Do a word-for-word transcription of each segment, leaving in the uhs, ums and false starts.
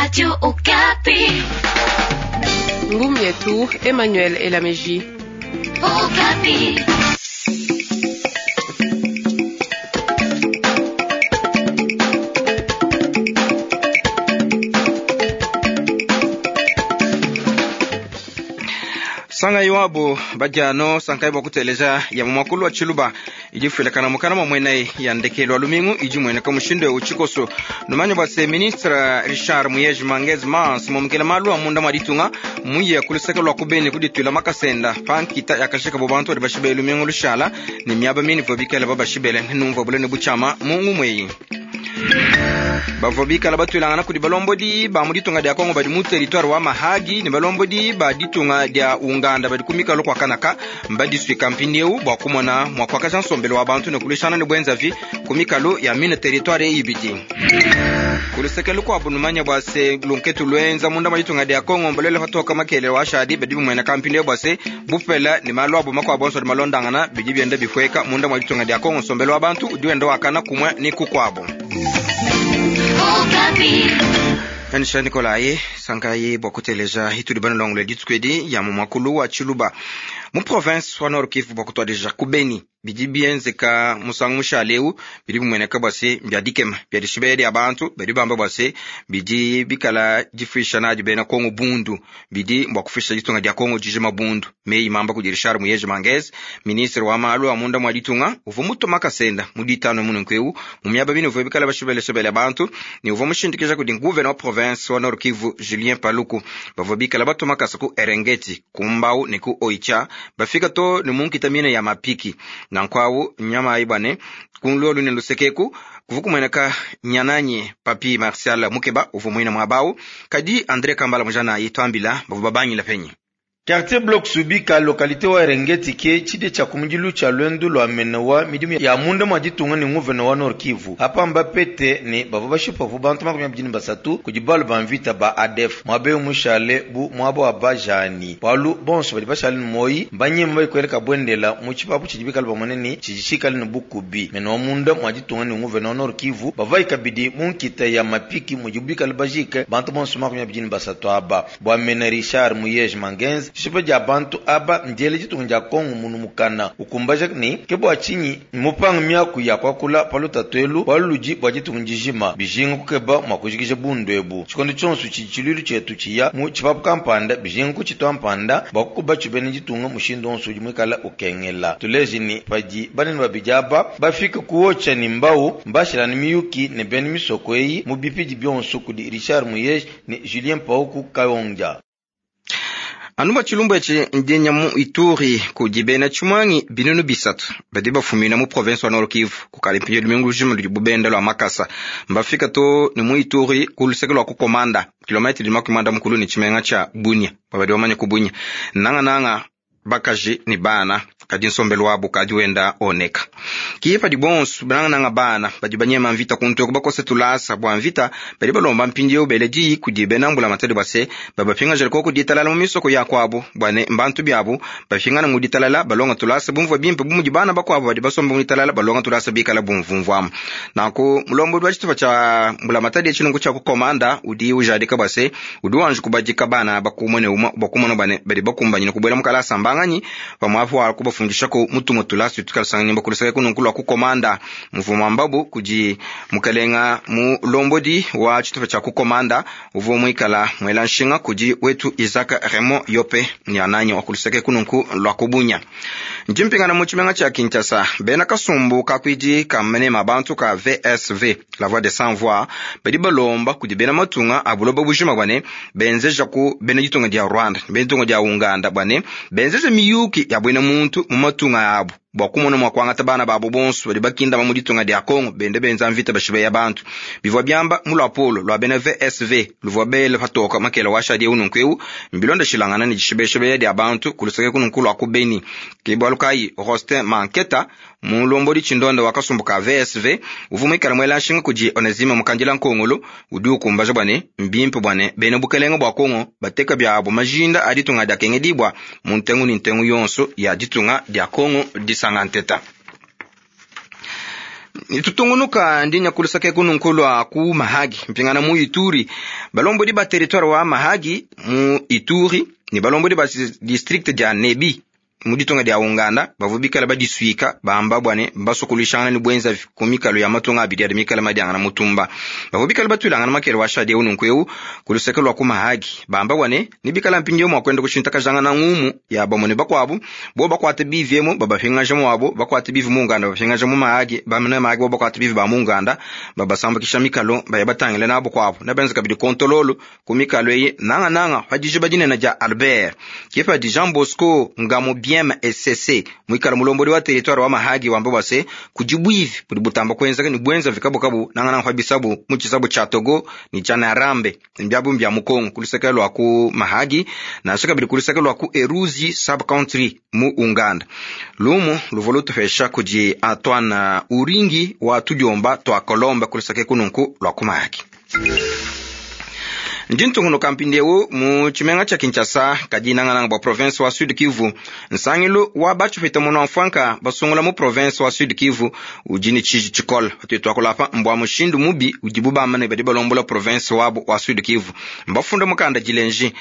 Radio Okapi. Ngumu yetu Emmanuel Elameji. Okapi. Sanga iwabo badiano sankai bwa kuteleja ya mumakulu wa chiluba idifuilakana mukana mwa mwena ya ndekelo wa lumingu idi mueneka mushindo uchikoso numanyo bwa se ministre Richard Muyej Mangez Mans momukela malu a munda mwa ditunga muye kuluseka lwa kubeni kudituila makasenda pankita yakashika bo bantu badi bashibele lumingu lushala ni miaba mini vua bikala babashibele numvua bulene buchama mungu mweyi bavua bikala batwilangana kudi balombodi ba mu ditunga dia kongo badi mu territoire wa mahagi ne balombodi ba ditunga dia unganda badi kumikalo kwa kanaka mbadisuika mpindieu bua kumona mua kuakaja nsombelo wa bantu ne kulishana ne bwenzavi ku mikalo ya mine territoire ibidi kuluseke lukuabu numanya bua se lunketu lwenza munda mwa ditunga dia kongo mbalwele patoka makelele wa shadi badi bimweneka mpindieu bua se bupela ne malu abu makuabu onso adi malondangana bidi bienda bifueka munda mwa ditunga dia kongo nsombelo wa bantu udi wenda wakana kumwe ni kukuabu anisha nikolaye sankaye bua kuteleja hitudi banalongole dituku ya mu mwakulu wa chiluba mu province wa Nord Kivu bua kutuadija ku Beni bidi bienzeka musangu mushale bidi bimueneka bua se bia dikema bia dishibele dia bantu badi bamba bua se bidi bikala difuisha nadi bena Kongo bundu bidi bua kufuisha ditunga dia Kongo dijima bundu meyi mamba kudi Richard Muyej Mangez ministre wa malu a munda mwa ditunga uvua mutuma kasenda mu ditano mununku mu miaba bine uvua bikala bashibeleshebele bantu ne uvua mushindikija kudi gouverneur wa province wa Nord Kivu Julien Paluku bavua bikala batuma kasa ku Erengeti ku Mbau ne ku Oicha bafika to ne munkita mine ya mapiki nankwawu nyama ayi bwane kunlolu ne lusekeku kuvu kumueneka nyananye papi Martial Mukeba uvua muina mwabawu kadi Andre Kambala mujana ayi twambila bavua babangila penyi Quartier Bloc Subika localité wa Erengeti ke chide cha kumujilu cha lwendu lwa menewa midimu ya munda mwa ditunga ni nguvena wa Nord Kivu apa mbapete ni bava bashipa vu bantu makumi abidi basatu kudi balu ba mvita ba A D F mwabe mushale bu mwabo wa bajani balu bonso badi bashale ni moyi mbanyema bayikweleka bwendela mu chipapu chidi bikala bamone ni chijishikale ni bukubi menewa munda mwa ditunga ni nguvena wa Nord Kivu bava ikabidi mu nkita ya mapiki mujibu bikala bajike bantu bonso makumi abidi basatu aba bwa mena Richard Muyej Mangenzi shipa ja bantu aba ndiele ditunga dia Kongo munu mukana ukumbaja ni ke bua tshinyi mupanga miaku ya kuakula palu tatuelu baludi bua ditunga dijima bijinga kukeba mua kujikija bundu ebu tshikondo tshionso tshidi tshiluilu tshietu tshiya mu tshipapu kampanda bijinga kutshitua mpanda bua kukuba tshibene ditunga mushindu onso udi muikala ukengela tuleji ni padi banene babidi aba bafika kuocha ni mbau mbashilani miyuki ne bene misoko eyi mu bipidi bionso kudi Richard Muyej ni Julien Pauku Kayonja. Anuba chilumbu echi ndinya mu Ituri kudi bena chimwangi binunu bisatu badi bafumina mu province wa Nord Kivu kukali mpinyo lumingu lujima ludi bubenda lwa makasa mbafika to ni mu Ituri ku luseke lwa kukomanda kilometri lima kumanda mukulu ni chimenga cha Bunia babadi bamanye ku Bunia nanga nanga bakaji ni bana kadi nsombelo wabo kadi wenda oneka kipa di bonso bananga nanga bana badi banyema mvita kuntu bakose tulasa bwa mvita badi balomba mpindieu bele di kudi benambula matadi base babapinga jeliko kuditalala mu misoko ya kwabo bwane mbantu byabo bapingana mu ditalala balonga tulasa bumvua bimpe bumudi bana bakwabo badi basomba mu ditalala balonga tulasa bikala bumvumvuamu nanku mulombo wa tshitupa tsha mbula matadi etshilungu tsha kukomanda udi ujadika base udi wanji kubadika bana bakumone uma bakumone bane badi bakumbanyina kubwela mukalasa mbanganyi pamwapo wa kubafundisha ko mutumo tulasi tukalasanga nyimba kulusaka kununkulu kukomanda mvumo mbabu kudi mukalenga mu lombodi wa tshitupa tsha kukomanda uvo muikala mwela nshinga kudi wetu Isaac Raymond Yope ni ananyi wa kulusaka kununku lwa kubunya njimpingana mu tshimenga tsha Kinshasa bena kasumbu kakwidi kamene mabantu ka V S V la voix des sans voix badi balomba kudi bena matunga abuloba bujima bwane benzeja ku bena ditunga dia Rwanda bena ditunga dia Uganda bwane benzeja miyuki ya bwena muntu mu matunga abo bua kumona mua kuangata bana babo bonso badi bakinda mu ditunga dia Kongo bende benza mvita bashibeya bantu bivua biamba mu lwapolo lwa bena V S V luvua bele patoka makela wa shadi ununku eu mbilonda shilangana ni dishibeshebeya dia bantu kuluseke kununku lwa ku Beni ke bualu kayi Rostin Manketa mulombodi tshindonda wa kasumbu ka V S V uvua muikala muela nshinga kudi Onesime Mukandila Nkongolo udi ukumbaja bwane mbimpe bwane bena bukelenga bua Kongo bateka byabo majinda a ditunga dia kengedibwa mu ntengu ni ntengu yonso ya ditunga dia Kongo disanga nteta. Tutungunuka ndi nyakulusaka kununku lwa ku Mahagi mpingana mu Ituri balombodi ba territoire wa Mahagi mu Ituri ni balombodi ba district dia Nebi mu ditunga dia Uganda bavua bikala badisuika bamba bwane basokolishangana ni bwenza ku mikalo ya matunga abidi adi mikala madiangana mutumba bavua bikala batuilangana makele wa shadi eu nunku eu ku luseke lwa ku Mahagi bamba bwane ni bikala mpindieu mua kwenda kushintakajangana ngumu ya bamwe ne bakuabu bo bakuate bivi emu babapingaja muabo bakuate bivi mu Uganda babapingaja mu Mahagi bamene Mahagi bo bakuate bivi ba mu Uganda babasambukisha mikalo baya batangile nabo kuabu na benza kabidi kontololo ku mikalo eyi nangananga padije badinene dia Albert kepa di Jean Bosco Ngamo bien M S C mwikala mulombodi wa territoire wa Mahagi wamba bwase kujibwivi buli butamba kwenzaka ni bwenza vikabukabu nangana nkwa bisabu mu chisabu cha Togo ni cha Narambe mbyabu mbya Mukongo kulusaka lwa ku Mahagi na shaka bili kulusaka lwa ku Eruzi sub country mu Uganda lumu luvolu tufesha kuji Antoine Uringi wa tujomba twa Kolomba kulusaka kununku lwa ku Mahagi. Ndintunguno kampindiewu mu chimenga cha Kinshasa kadinangananga bwa province wa Sud Kivu nsangilu wa bachufita muno mfwanka basungula mu province wa Sud Kivu ujini chiji chikola atuitwa kulapa mbwa mushindu mubi ujibu bamane badi balombola province wabo wa Sud Kivu mbafunda mukanda jilenji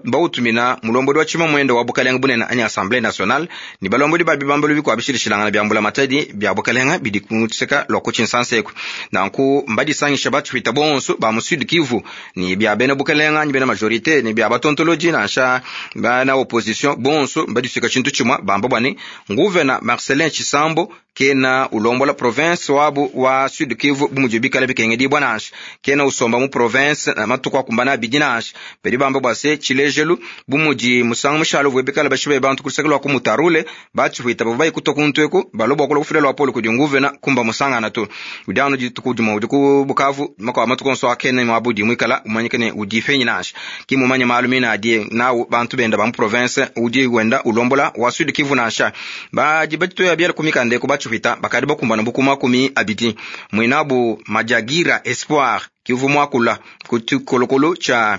mbautumina mulombodi wa chima mwendo wa bukalenga bunene anya Assemblée nationale ni balombodi babi bambalo bikwa bishilishilangana byambula matadi bya bukalenga bidi kutseka lwa kuchinsanseku nanku mbadisangisha bachufita bonso ba mu Sud Kivu ni bya bena bukalenga ni bena majorité ni bya batontoloji nansha bana opposition bonso mbadisuka chintu chimwa bamba bwane nguvena Marcelin Chisambo kena ulombola province wabu wa Sud Kivu bumujo bikala bikenge bwa nansha kena usomba mu province na matuku akumbana bidi nansha pedi bamba bwase chilejelu bumuji musanga mushalo vwe bikala bashibe bantu kulusaka ku mutarule bachihuita baba ikutokuntweku balobo kula kufila lwa polo kudi nguvena kumba musanga na tu udano jitukudimo udiku Bukavu makwa matuku nso akene mwabudi mwikala umanyikene udifenyi nansha kimumanya malumina adie nawo bantu benda ba mu province udi wenda ulombola wa Sud Kivu nansha baji bachitoya byala kumikande kubachuhita bakadi bakumbana bukuma kumi abidi mwinabu Majagira Espoir Kivu mwakula kuchikolokolo cha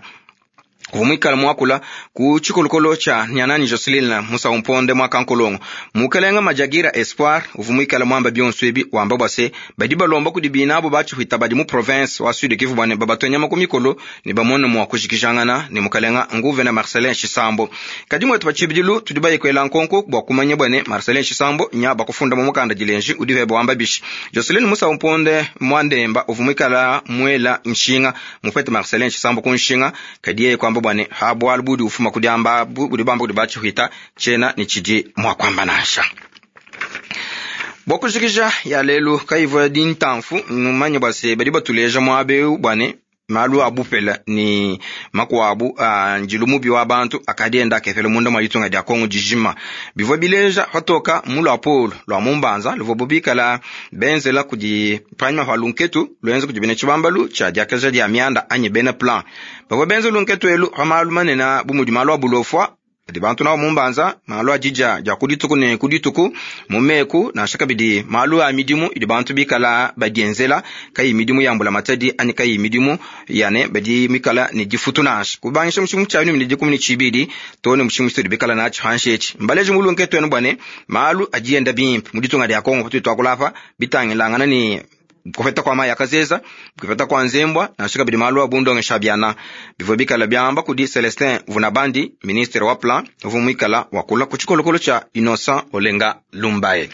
vumwikala mwakula ku chikolokolo cha nyanani Jocelyn Musa Mponde mwakankolongo mukalenga Majagira Espoir uvumwikala mwamba byonso ebi wamba bwase badi balomba kudi binabo bachuhita badi mu province wa Sud Kivu bwane babatwenya makumikolo ni bamone mwa kushikijangana ni mukalenga nguvena Marcelin Chisambo kadi mwetu bachibidilu tudi bayikwela nkonko bwa kumanya bwane Marcelin Chisambo nya bakufunda mu mukanda jilenji udive bwamba bishi Jocelyn Musa Mponde mwandemba uvumwikala mwela nshinga mufete Marcelin Chisambo kunshinga kadi kwamba bwane habwa budi ufuma kudyamba budi bamba kudi bachihuita chena ni chidi mwakwamba nasha bwakushikisha ya lelu kaivo dintamfu numanye bwase badi batuleja mwabeu bwane malu abupela ni makuabu a njilu mubi wa bantu akadienda akefele munda mwa litunga dia Kongo dijima bivwa bileja hatoka mulu apolo lwa mumbanza luvo bubikala benzela kudi panyuma pa lunketu lwenza kudi bene chibambalu cha diakaja dia mianda anyi bene plan bavwa benza lunketu elu pa malu manena bumudi malu abulofwa di bantu nawo mumbanza malu ajija ja kudituku ne kudituku mumeku na shaka bidi malu a midimu idi bantu bikala badienzela kayi midimu yambula matadi ani kayi midimu yane badi mikala ni difutu nash kubangisha mushimu cha ni dikumi ni chibidi tone mushimu chitu bikala na chanshechi mbaleje mulunke twenu bwane malu ajienda bimpe muditunga dia Kongo kutu twakulapa bitangilangana ni kufeta kwa maya kazeza kufeta kwa nzembwa na shika bidi malu abundonge shabiana bivyo bikala byamba kudi Celestin Vunabandi ministre wa plan vumwikala wakula kuchikolokolo cha Innocent Olenga Lumbaye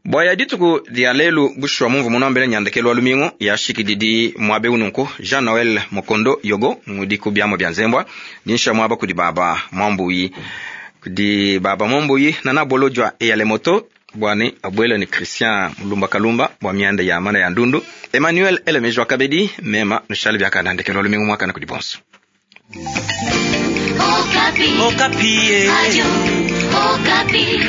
bwaya dituku dia lelu bushwa mumvu munambele nyandekelo alumingo yashikididi mwabe ununku Jean Noel Mokondo Yogo mudiku byamo bya nzembwa dinsha mwaba kudi baba mwambuyi kudi baba mwambuyi nana bolojwa eyale moto bwane abwele ni Christian Mulumba Kalumba bwa mianda ya mana ya ndundu Emmanuel Elemejwa Kabedi mema nushale byaka nandekelo alumingo mwaka na kudi bonso. Okapi. Okapi. Radio Okapi.